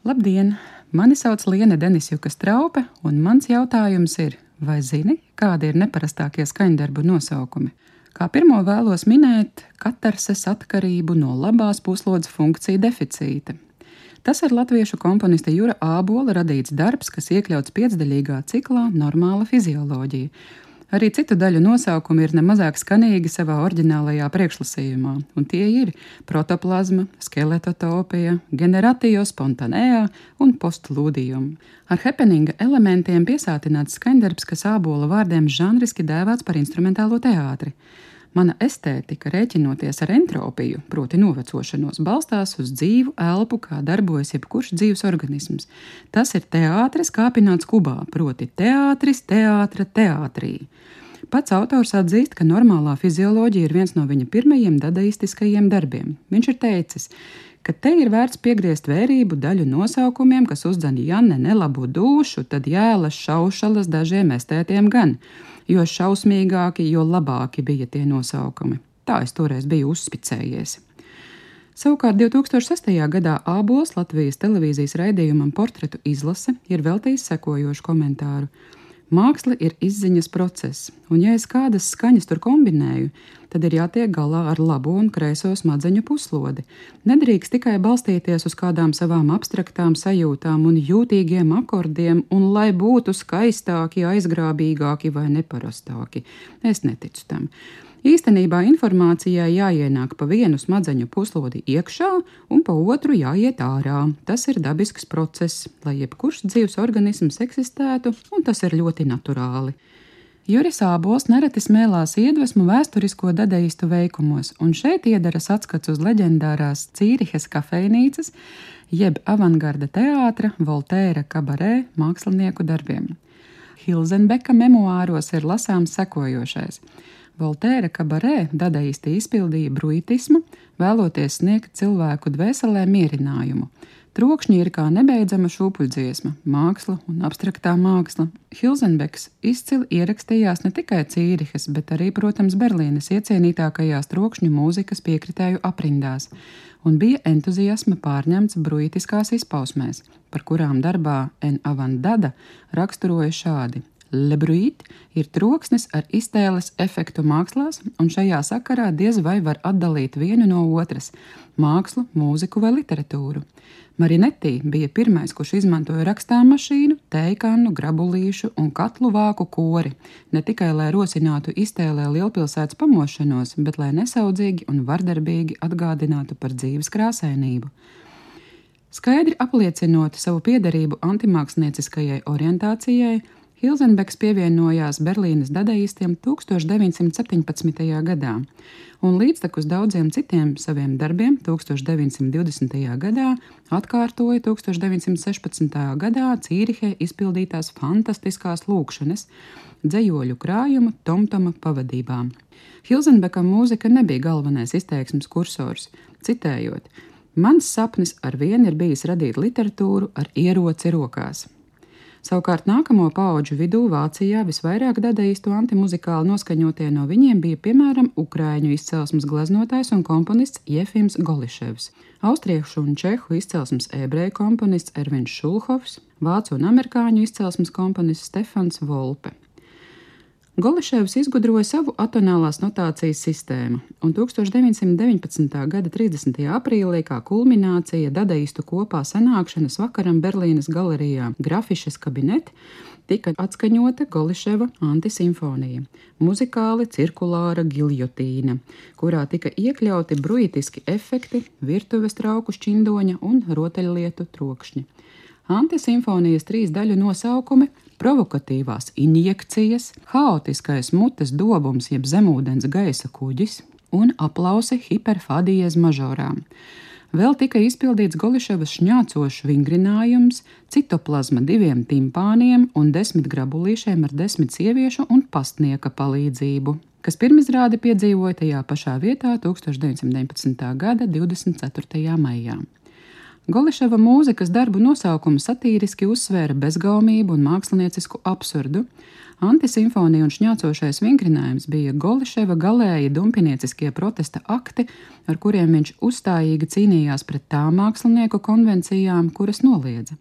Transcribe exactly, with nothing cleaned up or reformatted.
Labdien! Mani sauc Liene Denisjuka Straupe, un mans jautājums ir, vai zini, kādi ir neparastākie skaņdarbu nosaukumi? Kā pirmo vēlos minēt katarses atkarību no labās puslodes funkciju deficīta. Tas ir latviešu komponista Jura Ābola radīts darbs, kas iekļauts piecdaļīgā ciklā Normāla fizioloģija. Arī citu daļu nosaukumi ir nemazāk skanīgi savā oriģinālajā priekšlasījumā, un tie ir protoplazma, skeletotopija, generatio spontanea un postlūdijum. Ar happeninga elementiem piesātināts skaņdarbs, kas Ābola vārdiem žanriski dēvēts par instrumentālo teātri. Mana estētika, rēķinoties ar entropiju, proti novecošanos, balstās uz dzīvu elpu, kā darbojas jebkurš dzīves organisms. Tas ir teātris kāpināts kubā, proti teātris, teātra, teātrī. Pats autors atzīst, ka normālā fizioloģija ir viens no viņa pirmajiem dadaistiskajiem darbiem. Viņš ir teicis, ka te ir vērts piegriezt vērību daļu nosaukumiem, kas uzdzen ja ne nelabu dūšu, tad jēlas šaušalas dažiem estētiem gan, jo šausmīgāki, jo labāki bija tie nosaukumi. Tā es toreiz biju uzspicējies. Savukārt divi tūkstoši sestajā gadā Ābols Latvijas televīzijas raidījumam Portretu izlase ir veltījis sekojošu komentāru. Māksla ir izziņas process, un ja es kādas skaņas tur kombinēju, tad ir jātiek galā ar labo un kreiso smadzeņu puslodi. Nedrīkst tikai balstīties uz kādām savām abstraktām sajūtām un jūtīgiem akordiem, un lai būtu skaistāki, aizgrābīgāki vai neparastāki. Es neticu tam. Īstenībā informācijai jāienāk pa vienu smadzeņu puslodi iekšā un pa otru jāiet ārā. Tas ir dabisks process, lai jebkurš dzīves organisms eksistētu, un tas ir ļoti naturāli. Juris Ābols nereti smēlās iedvesmu vēsturisko dadaistu veikumos, un šeit iedaras atskats uz leģendārās Cīrihes kafejnīcas, jeb avangarda teātra Voltēra kabarē mākslinieku darbiem. Hilzenbeka memoāros ir lasāms sekojošais. Voltēra kabarē dadaisti izpildīja bruitismu, vēloties sniegt cilvēku dvēselē mierinājumu. Trokšņi ir kā nebeidzama šūpuļdziesma, māksla un abstraktā māksla. Hilzenbeks izcili ierakstījās ne tikai Cīrihes, bet arī, protams, Berlīnes iecienītākajās trokšņu mūzikas piekritēju aprindās, un bija entuziasma pārņemts bruitiskās izpausmēs, par kurām darbā En avant dada raksturoja šādi. Le bruit ir troksnis ar iztēles efektu mākslās, un šajā sakarā diez vai var atdalīt vienu no otras – mākslu, mūziku vai literatūru. Marinetti bija pirmais, kurš izmantoja rakstāmmašīnu, teikannu, grabulīšu un katlu vāku kori, ne tikai lai rosinātu iztēlē lielpilsētas pamošanos, bet lai nesaudzīgi un vardarbīgi atgādinātu par dzīves krāsainību. Skaidri apliecinot savu piederību antimākslinieciskajai orientācijai, Hilzenbeks pievienojās Berlīnes dadaistiem tūkstoš deviņsimt septiņpadsmitajā gadā, un līdztekus daudziem citiem saviem darbiem tūkstoš deviņsimt divdesmitajā gadā atkārtoja tūkstoš deviņsimt sešpadsmitajā gadā Cīrihē izpildītās fantastiskās lūkšanas, dzejoļu krājumu Tomtoma pavadībām. Hilzenbekam mūzika nebija galvenais izteiksmes kursors, citējot: "Mans sapnis ar vienu ir bijis radīt literatūru ar ieroci rokās." Savukārt nākamo paudžu vidū Vācijā visvairāk dadaistu antimuzikāli noskaņotie no viņiem bija piemēram ukraiņu izcelsmes gleznotājs un komponists Jefims Goliševs, austriešu un čehu izcelsmes ebreju komponists Ervins Šulhovs, vācu un amerikāņu izcelsmes komponists Stefans Volpe. Goliševs izgudroja savu atonālās notācijas sistēmu, un tūkstoš deviņsimt deviņpadsmitā gada trīsdesmitajā aprīlī kā kulminācija dadaistu kopā sanākšanas vakaram Berlīnes galerijā Grafisches Kabinett tika atskaņota Goliševa antisimfonija, muzikāli cirkulāra giljotīna, kurā tika iekļauti bruitiski efekti, virtuves trauku šķindoņa un rotaļlietu trokšņi. Antisimfonijas trīs daļu nosaukumi – provokatīvās injekcijas, haotiskais mutes dobums jeb zemūdens gaisa kuģis un aplausi hiperfadies mažorām. Vēl tika izpildīts Goliševas šņācošs vingrinājums, citoplazma diviem timpāniem un desmit grabulīšiem ar desmit sieviešu un pastnieka palīdzību, kas pirmizrādi piedzīvoja tajā pašā vietā tūkstoš deviņsimt deviņpadsmitā gada divdesmit ceturtajā maijā. Goliševa mūzikas darbu nosaukumu satīriski uzsvēra bezgaumību un māksliniecisku absurdu. Antisimfonija un šņācošais vingrinājums bija Goliševa galēji dumpinieciskie protesta akti, ar kuriem viņš uzstājīgi cīnījās pret tām mākslinieku konvencijām, kuras noliedza.